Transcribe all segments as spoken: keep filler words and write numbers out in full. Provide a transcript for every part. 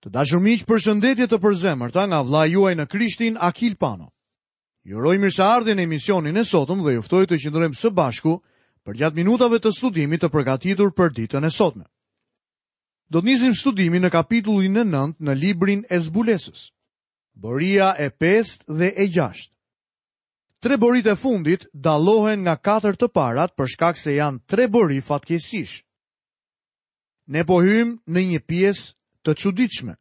Të dashur miq, përshëndetje të përzemërta nga vëllai juaj në Krishtin, Akil Pano. Ju uroj mirëseardhjen në emisionin e sotëm dhe ju ftoj të qëndrojmë së bashku përgjatë minutave të studimit të përgatitur për ditën e sotme. Do të nisim studimin në kapitullin e nëntë në librin e Zbulesës. Boria e pestë dhe e gjashtë. Tre boritë e fundit dallohen nga katër të parat për shkak se janë tre bori fatkeqësish. Ne po hyjmë në një pjesë të çuditshme.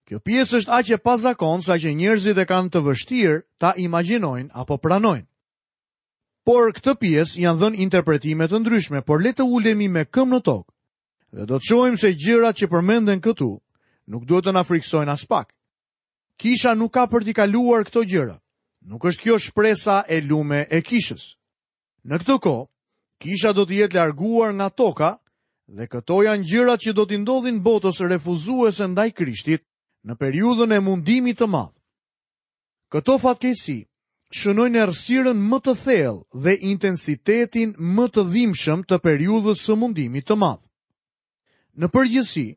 Kjo pjesë është aq e pazakontë sa që njerëzit e kanë të vështirë ta imagjinojnë apo pranojnë. Por këtë pjesë janë dhënë interpretime të ndryshme, por le të ulemi me këmbë në tokë dhe do të shohim se gjërat që përmenden këtu nuk duhet të na frikësojnë as pak. Kisha nuk ka për t'i kaluar këto gjëra. Nuk është kjo shpresa e lume e kishës. Në këtë kohë, kisha do të jetë larguar nga toka dhe këto janë gjërat që do t'i ndodhin botës refuzuese ndaj Krishtit në periudhën e mundimit të madh. Këto fatkeqësi shënojnë errësirën më të thellë dhe intensitetin më të dhimbshëm të periudhës së mundimit të madh. Në përgjithësi,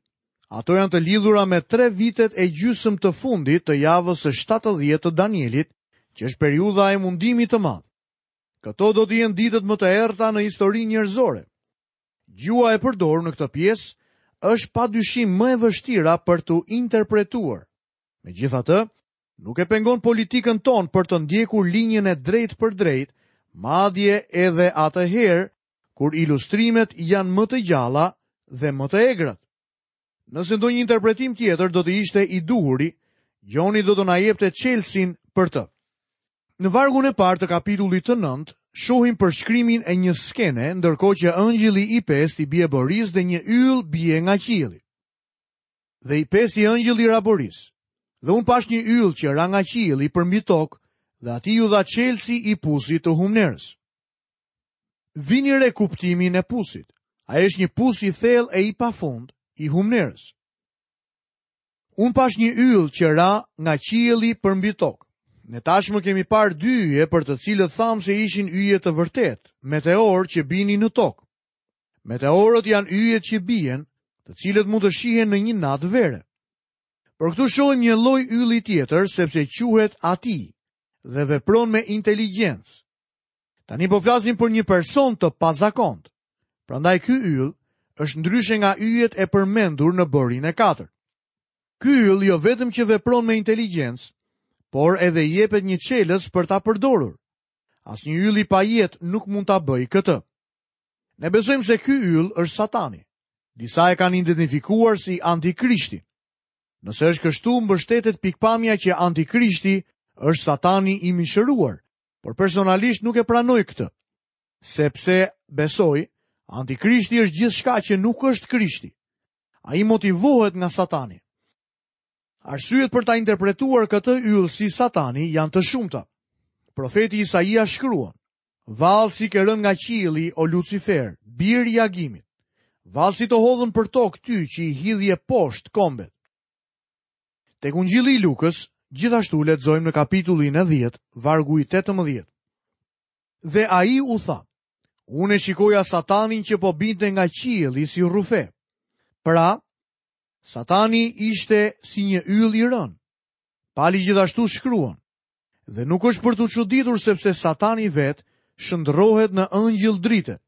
ato janë të lidhura me tre vitet e gjysmë të fundit të javës së shtatëdhjetë të Danielit, që është periudha e mundimit të madh. Këto do të jenë ditët më të errëta në historinë njerëzore. Gjuha e përdorur në këtë pjesë është padyshim më e vështira për t'u interpretuar. Megjithatë, nuk e pengon politikën tonë për të ndjekur linjën e drejtë për drejtë, madje edhe atëherë kur ilustrimet janë më të gjalla dhe më të egrat. Nëse ndonjë interpretim tjetër do të ishte i duhuri, Gjoni do të na jepte çelësin për të. Në vargun e parë të kapitullit të nëntë, shohim përshkrimin e një skene, ndërkohë që engjëlli i pestë i bie borisë dhe një yll bie nga qielli. Dhe i pesti engjëll i ra borisë. Dhe unë pash një yll që ra nga qielli përmbi tokë, dhe atij iu dha çelësi i pusit të humnerës. Vini re kuptimin e pusit. Ai është një pus i thellë e i pafund i humnerës. Unë pash një yll që ra nga qielli përmbi tokë. Ne tashmë kemi parë dy yje për të cilët thamë se ishin yje të vërtetë, meteorë që binin në tokë. Meteorët janë yjet që bien, të cilët mund të shihen në një natë vere. Por këtu shohim një lloj ylli tjetër, sepse quhet Ati dhe vepron me inteligjencë. Tani po flasim për një person të pazakont. Prandaj ky yll është ndryshe nga yjet e përmendur në borinë e katërt. Ky yll jo vetëm që vepron me inteligjencë, por edhe i jepet një çelës për ta përdorur. Asnjë yll i pajetë nuk mund ta bëjë këtë. Ne besojmë se ky yll është Satani. Disa e kanë identifikuar si Antikrishti. Nëse është kështu, mbështetet pikpamja që Antikrishti është Satani i mishëruar, por personalisht nuk e pranoj këtë, sepse besoj Antikrishti është gjithçka që nuk është Krishti. Ai motivohet nga Satani. Arsyet për ta interpretuar këtë yll si Satani janë të shumta. Profeti Isaia shkruan: Vallë si ke rënë nga qielli, o Lucifer, bir i Agimit. Vallë si të hodhën për tokë ty që i hidhje poshtë kombet. Tek Ungjilli i Lukës, gjithashtu lexojmë në kapitullin e dhjetë, vargu i tetëmbëdhjetë. Dhe ai u tha: Unë e shikoja Satanin që po binte nga qielli si rrufe. Pra, Satani ishte si një yll i rënë. Pali gjithashtu shkruan: Dhe nuk është për t'u çuditur sepse Satani vetë shndrohet në engjëll drite.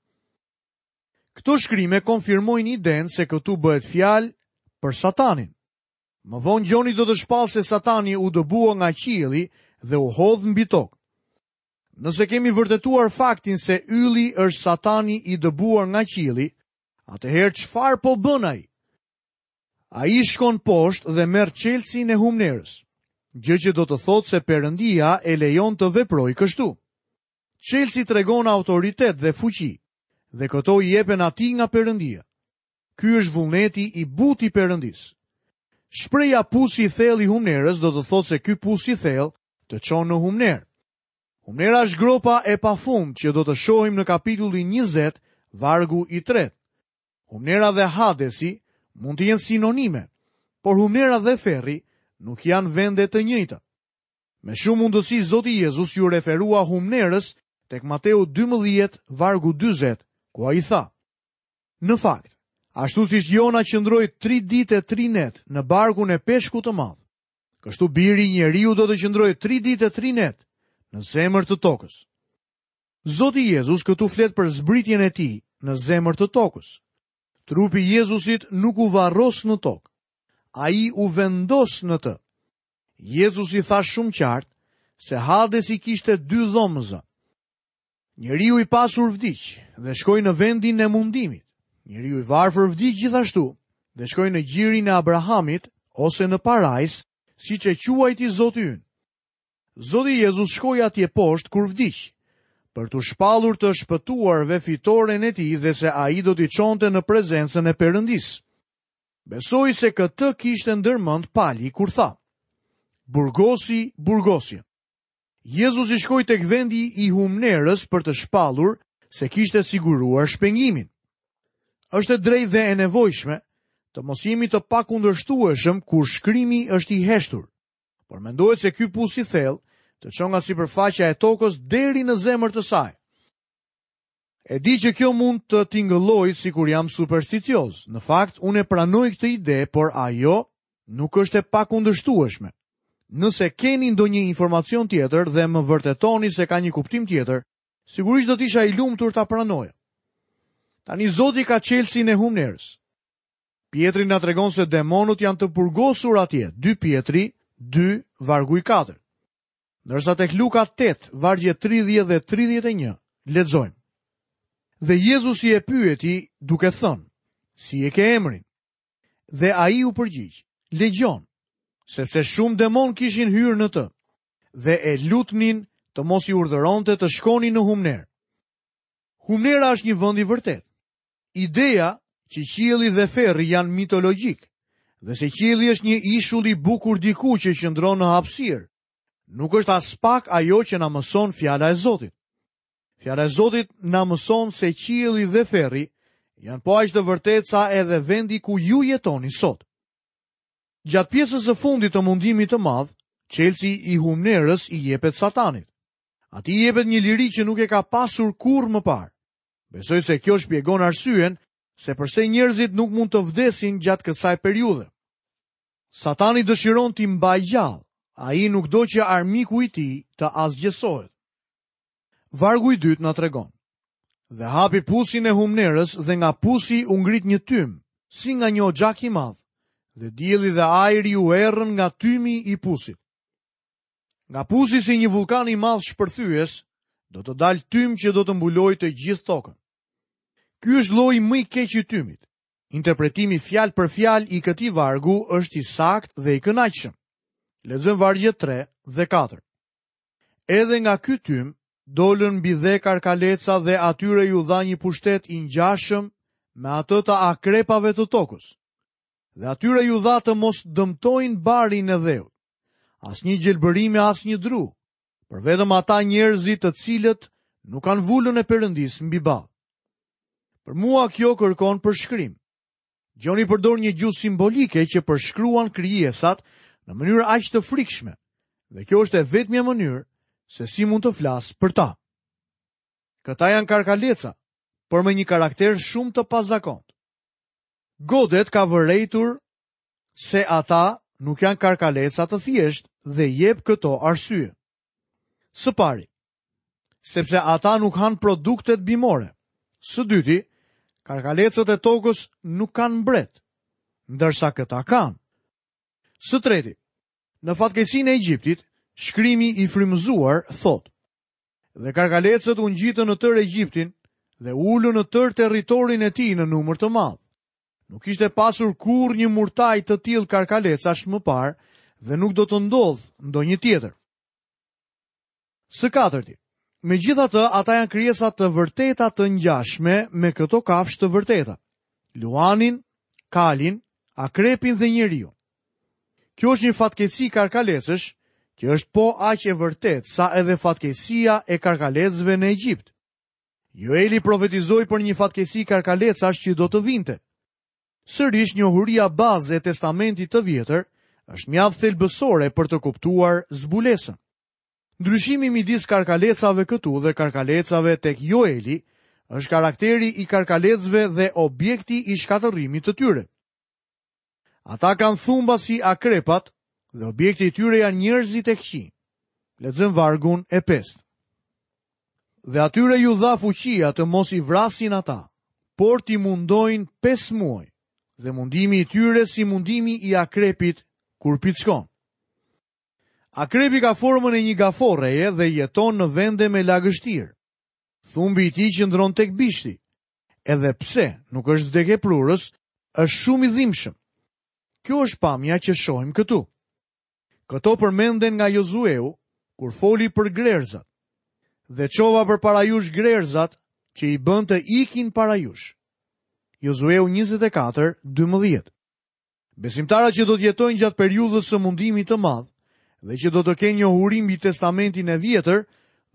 Këto shkrime konfirmojnë idenë se këtu bëhet fjalë për Satanin. Më vonë Gjoni do të shpallë se Satani u dëbua nga qielli dhe u hodh mbi tokë. Nëse kemi vërtetuar faktin se ylli është Satani i dëbuar nga qielli, atëherë çfarë po bën ai? Ai shkon poshtë dhe merr çelësin e humnerës, gjë që do të thotë se Perëndia e lejon të veprojë kështu. Çelësi tregon autoritet dhe fuqi, dhe këto i jepen atij nga Perëndia. Ky është vullneti i butë i Perëndisë. Shpreha pusi i thellë i humnerës do të thotë se ky pus i thellë të çon në humnerë. Humnera është gropa e pafund që do të shohim në kapitullin njëzet, vargu i tretë. Humnera dhe Hadesi mund të jenë sinonime, por humnera dhe ferri nuk janë vende të njëjta. Me shumë mundësi Zoti Jezus ju referua humnerës tek Mateu dymbëdhjetë, vargu dyzet, ku ai tha: Në fakt, Ashtu siç Jona qëndroi tri ditë e tri net në barkun e peshkut të madh, kështu biri i njeriut do të qëndrojë tri ditë e tri net në zemër të tokës. Zoti Jezus këtu flet për zbritjen e tij në zemër të tokës. Trupi i Jezusit nuk u varros në tokë. Ai u vendos në të. Jezusi tha shumë qartë se Hadesi kishte dy dhomëza. Njeriu i pasur vdiq dhe shkoi në vendin e mundimit. Njeriu i varfër vdiq gjithashtu dhe shkoi në gjirin e Abrahamit ose në parajs, siç e quajti Zoti ynë. Zoti Jezus shkoi atje poshtë kur vdiq, për t'u shpallur të shpëtuarve fitoren e tij dhe se ai do t'i çonte në prezencën e Perëndisë. Besoj se këtë kishte ndërmend Pali kur tha: Burgosi, burgosi. Jezusi shkoi tek vendi i humnerës për të shpallur se kishte siguruar shpengimin. Është e drejtë dhe e nevojshme të mos jemi të pakundërshtueshëm kur shkrimi është i heshtur, por mendohet se ky pus i thellë të çon nga sipërfaqja e tokës deri në zemër të saj. E di që kjo mund të tingëllojë sikur jam supersticioz. Në fakt, unë e pranoj këtë ide, por ajo nuk është e pakundërshtueshme. Nëse keni ndonjë informacion tjetër dhe më vërtetoni se ka një kuptim tjetër, sigurisht do të isha i lumtur ta pranoja. Tani Zoti ka çelësin e humnerës. Pietri na tregon se demonët janë të burgosur atje, dy Pietri, dy, vargu i katër. Ndërsa tek Luka tetë, vargje tridhjetë dhe tridhjetë e një, lexojmë. Dhe Jezusi e pyeti duke thënë: Si e ke emrin? Dhe ai u përgjigj: Legjon, sepse shumë demon kishin hyrë në të, dhe e lutnin të mos i urdhëronte të shkonin në humnerë. Humnera është një vend i vërtet. Ideja që qielli dhe ferri janë mitologjik, dhe se qielli është një ishull i bukur diku që qëndron në hapësirë, nuk është aspak ajo që na mëson fjala e Zotit. Fjala e Zotit na mëson se qielli dhe ferri janë po aq të vërtetë sa edhe vendi ku ju jetoni sot. Gjatë pjesës së fundit të mundimit të madh, çelësi i humnerës i jepet Satanit. Atij i jepet një liri që nuk e ka pasur kurrë më parë. Besoj se kjo shpjegon arsyen se përse njerëzit nuk mund të vdesin gjatë kësaj periudhe. Satani dëshiron t'i mbajë gjallë. Ai nuk do që armiku i tij të asgjësohet. Vargu i dytë na tregon: Dhe hapi pusin e humnerës dhe nga pusi u ngrit një tym, si nga një oxhak i madh, dhe dielli dhe ajri u errën nga tymi i pusit. Nga pusi si një vullkan i madh shpërthyes, do të dalë tym që do të mbulojë të gjithë tokën. Ky është lloji më i keq i tymit. Interpretimi fjalë për fjalë i këtij vargu është i saktë dhe i kënaqshëm. Lexojmë vargjet tre dhe katër. Edhe nga ky tym dolën mbi dhe karkaleca dhe atyre ju dha një pushtet i ngjashëm me atë të akrepave të tokës. Dhe atyre ju dha të mos dëmtojnë barin e dheut, asnjë gjelbërime, asnjë dru, por vetëm ata njerëzit të cilët nuk kanë vulën e Perëndisë mbi ballë. Për mua kjo kërkon përshkrim. Gjoni përdor një gjuhë simbolike që përshkruan krijesat në mënyrë aq të frikshme, dhe kjo është e vetmja mënyrë se si mund të flas për ta. Këta janë karkaleca, por me një karakter shumë të pazakont. Godet ka vërejtur se ata nuk janë karkaleca të thjeshtë dhe jep këto arsye. Së pari, sepse ata nuk hanë produktet bimore. Së dyti, karkalecët e tokës nuk kanë mbret, ndërsa këta kanë. Së treti, në fatkeqësinë e Egjiptit, shkrimi i frymëzuar thotë: Dhe karkalecët u ngjitën në tërë Egjiptin dhe u ulën në tërë territorin e tij në numër të madh. Nuk ishte pasur kurrë një murtaj të tillë karkalecash më parë dhe nuk do të ndodhë ndonjë tjetër. Së katërti, megjithatë ata janë krijesa të vërteta të ngjashme me këto kafshë të vërteta: luanin, kalin, akrepin dhe njeriu. Kjo është një fatkeqësi karkalecësh që është po aq e vërtetë sa edhe fatkeqësia e karkalecëve në Egjipt. Joeli profetizoi për një fatkeqësi karkalecash që do të vinte. Sërish njohuria bazë e Testamentit të Vjetër është mjaft thelbësore për të kuptuar zbulesën. Ndryshimi midis karkalecave këtu dhe karkalecave tek Joeli është karakteri i karkalecëve dhe objekti i shkatërrimit të tyre. Ata kanë thumba si akrepat dhe objekti i tyre janë njerëzit e këqij. Lexojmë vargun e pestë. Dhe atyre ju dha fuqia të mos i vrasin ata, por t'i mundojnë pesë muaj, dhe mundimi i tyre si mundimi i akrepit kur pickon. Akrepi ka formën e një gaforreje dhe jeton në vende me lagështirë. Thumbi i tij qëndron tek bishti. Edhe pse nuk është vdekjeprurës, është shumë i dhimbshëm. Kjo është pamja që shohim këtu. Këto përmenden nga Jozueu kur foli për grerzat. Dhe çova përpara jush grerzat që i bën të ikin para jush. Jozueu njëzet e katër, dymbëdhjetë. Besimtarët që do të jetojnë gjatë periudhës së mundimit të madh dhe që do të kenë njohuri mbi testamentin e vjetër,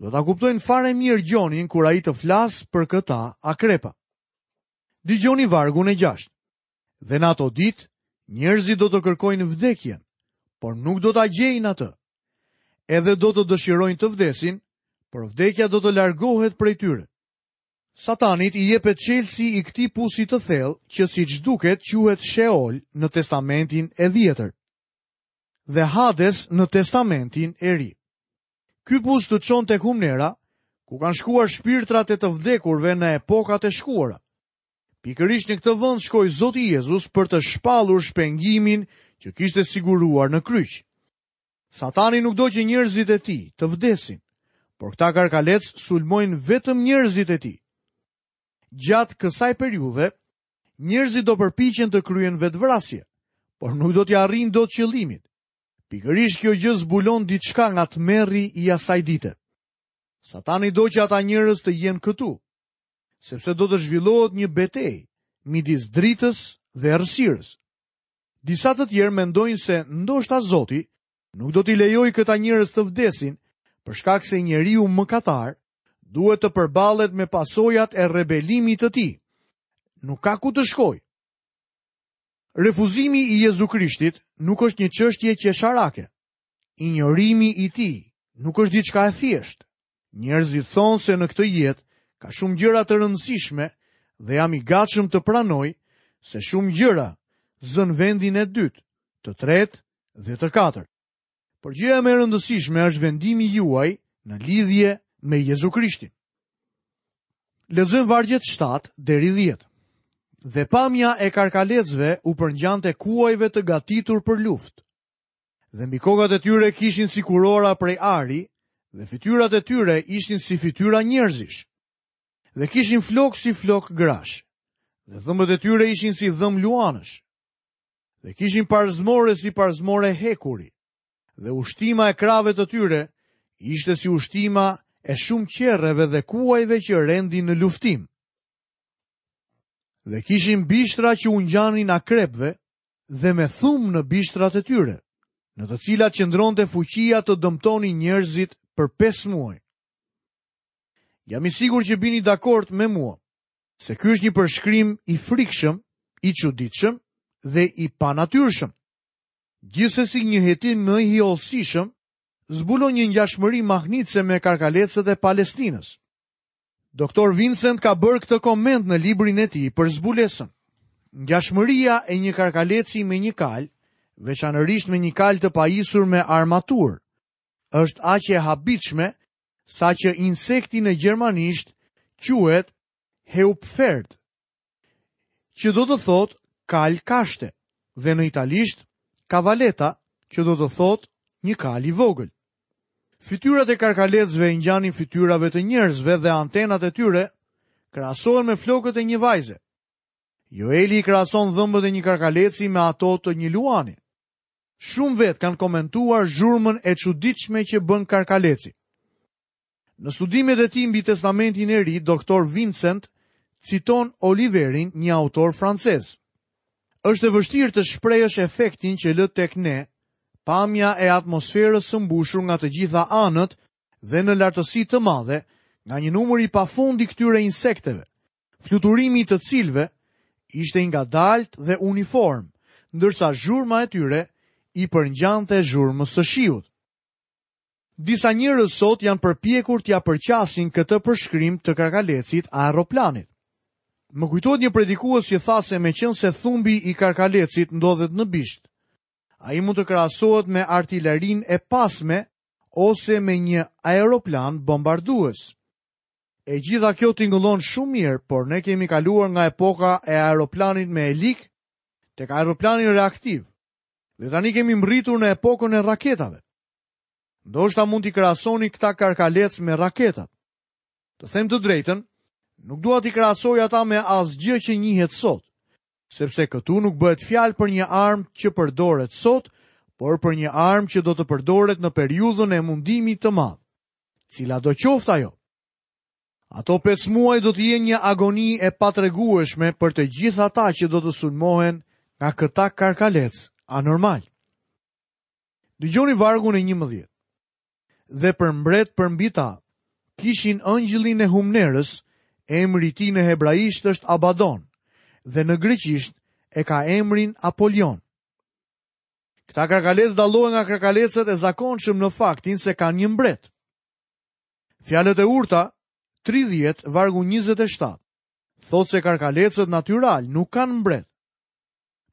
do ta kuptojnë fare mirë Gjonin kur ai të flasë për këta akrepa. Dëgjoni vargun e gjashtë. Dhe në ato ditë, njerëzit do të kërkojnë vdekjen, por nuk do ta gjejnë atë. Edhe do të dëshirojnë të vdesin, por vdekja do të largohet prej tyre. Satanit i jepet çelësi i këtij pusi të thellë, që siç duket quhet Sheol në Testamentin e Vjetër dhe Hades në Testamentin e Ri. Ky pus të çon tek humnera, ku kanë shkuar shpirtrat e të vdekurve në epokat e shkuara. Pikërisht në këtë vend shkoi Zoti Jezus për të shpallur shpengimin që kishte siguruar në kryq. Satani nuk do që njerëzit e tij të vdesin, por këta karkalec sulmojnë vetëm njerëzit e tij. Gjatë kësaj periudhe, njerëzit do përpiqen të kryen vetvrasje, por nuk do t'ia arrijnë dot qëllimit. Pikërisht kjo gjë zbulon diçka nga tmerri i asaj dite. Satani do që ata njerëz të jenë këtu, sepse do të zhvillohet një betejë midis dritës dhe errësirës. Disa të tjerë mendojnë se ndoshta Zoti nuk do t'i lejojë këta njerëz të vdesin, për shkak se njeriu mëkatar duhet të përballet me pasojat e rebelimit të tij. Nuk ka ku të shkojë. Refuzimi i Jezu Krishtit nuk është një çështje qesharake. Injorimi i tij nuk është diçka e thjeshtë. Njerëzit thonë se në këtë jetë ka shumë gjëra të rëndësishme dhe jam i gatshëm të pranoj se shumë gjëra zën vendin e dytë, të tretë dhe të katërt. Por gjëja më e rëndësishme është vendimi juaj në lidhje me Jezu Krishtin. Lexojmë vargjet shtatë deri dhjetë. Dhe pamja e karkalecëve u përngjante kuajve të gatitur për luftë. Dhe mbi kokat e tyre kishin si kurora prej ari, dhe fytyrat e tyre ishin si fytyra njerëzish. Dhe kishin flok si flok grash, dhe dhëmbët e tyre ishin si dhëmb luanësh. Dhe kishin parzmore si parzmore hekuri, dhe ushtima e krave të tyre ishte si ushtima e shumë qerreve dhe kuajve që rendin në luftim. Dhe kishin bishtra që u ngjanin akrepëve dhe me thum në bishtrat e tyre, në të cilat qëndronte fuqia të dëmtonin njerëzit për pesë muaj. Jam i sigurt që bini dakord me mua, se ky është një përshkrim i frikshëm, i çuditshëm dhe i panatyrshëm. Gjithsesi një hetim më i hollësishëm zbulon një ngjashmëri mahnitëse me karkalecët e Palestinës. Doktor Vincent ka bërë këtë koment në librin e tij për zbulesën. Ngjashmëria e një karkaleci me një kalë, veçanërisht me një kalë të pajisur me armaturë, është aq e habitshme sa që insekti në gjermanisht quhet Heupferd, që do të thotë kalë kashte, dhe në italisht cavaletta, që do të thotë një kalë i vogël. Fytyrat e karkalecëve i ngjanin fytyrave të njerëzve dhe antenat e tyre krahasohen me flokët e një vajze. Joeli i krahason dhëmbët e një karkaleci me ato të një luani. Shumë vetë kanë komentuar zhurmën e çuditshme që bën karkaleci. Në studimet e tij mbi Testamentin e Ri, doktor Vincent citon Oliverin, një autor francez. Është e vështirë të shprehësh efektin që lë tek ne pamja e atmosferës së mbushur nga të gjitha anët dhe në lartësi të madhe nga një numër i pafund i këtyre insekteve, fluturimi i të cilëve ishte i ngadalt dhe uniform, ndërsa zhurma e tyre i përngjante zhurmës së shiut. Disa njerëz sot janë përpjekur t'ia përqasin këtë përshkrim të karkalecit aeroplanit. Më kujtohet një predikues që tha se meqense thumbi i karkalecit ndodhet në bisht, ai mund të krahasohet me artillerinë e pasme ose me një aeroplan bombardues. E gjitha kjo tingëllon shumë mirë, por ne kemi kaluar nga epoka e aeroplanit me helik tek aeroplani reaktiv. Dhe tani kemi mbërritur në epokën e raketave. Ndoshta mund t'i krahasoni këta karkalec me raketat. Të them të drejtën, nuk dua t'i krahasoj ata me asgjë që njihet sot, sepse këtu nuk bëhet fjalë për një armë që përdoret sot, por për një armë që do të përdoret në periudhën e mundimit të madh. Cila do qoftë ajo? Ato pesë muaj do të jenë një agoni e patregueshme për të gjithë ata që do të sulmohen nga këta karkalec anormal. Dëgjoni vargun e njëmbëdhjetë. Dhe për mbret përmbi ta, kishin ëngjëllin e humnerës, emri i tij në hebraisht është Abaddon, dhe në greqisht e ka emrin Apolion. Këta karkalec dallohen nga karkalecët e zakonshëm në faktin se kanë një mbret. Fjalët e urta tridhjetë vargu njëzet e shtatë thotë se karkalecët natyral nuk kanë mbret.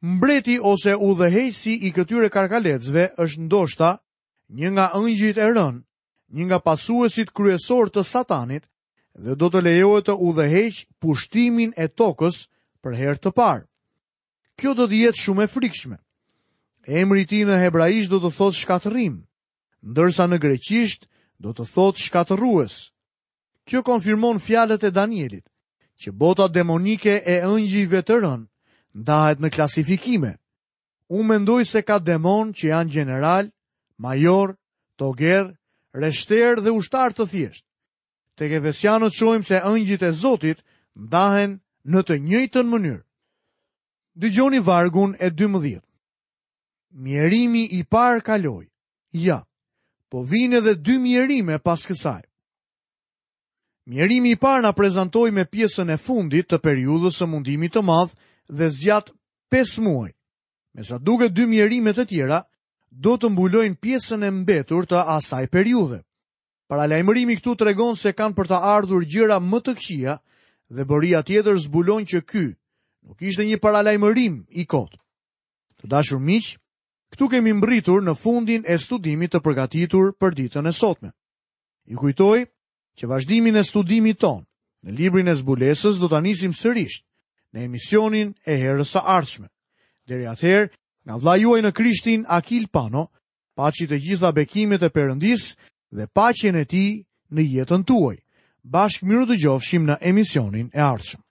Mbreti ose udhëheqësi i këtyre karkalecëve është ndoshta një nga ëngjëjt e rënë, një nga pasuesit kryesor të Satanit dhe do të lejohet të udhëheq pushtimin e tokës për herë të parë. Kjo do të jetë shumë e frikshme. Emri i tij në hebraisht do të thotë shkatërrim, ndërsa në greqisht do të thotë shkatërrues. Kjo konfirmon fjalët e Danielit, që bota demonike e ëngjëjve të rënë ndahet në klasifikime. Unë mendoj se ka demon që janë gjeneral, major, toger, reshter dhe ushtar të thjeshtë. Tek Efesianët shohim se ëngjëjt e Zotit ndahen në të njëjtën mënyrë. Dëgjoni vargun e dymbëdhjetë. Mjerimi i parë kaloi. Ja, po vijnë edhe dy mjerime pas kësaj. Mjerimi i parë na prezantoi me pjesën e fundit të periudhës së mundimit të madh dhe zgjat pesë muaj. Me sa duket dy mjerime të tjera do të mbulojnë pjesën e mbetur të asaj periudhe. Paralajmërimi këtu tregon se kanë për të ardhur gjëra më të këqija dhe boria tjetër zbulon që ky nuk ishte një paralajmërim i kot. Të dashur miq, këtu kemi mbërritur në fundin e studimit të përgatitur për ditën e sotme. Ju kujtoj që vazhdimin e studimit ton në librin e zbulesës do ta nisim sërish në emisionin e herës së ardhshme. Deri atëherë, nga vëllai juaj në Krishtin Akil Pano, paçi të gjitha bekimet e Perëndisë dhe paqen e tij në jetën tuaj. Bashkë mirë dëgjofshim në emisionin e ardhshëm.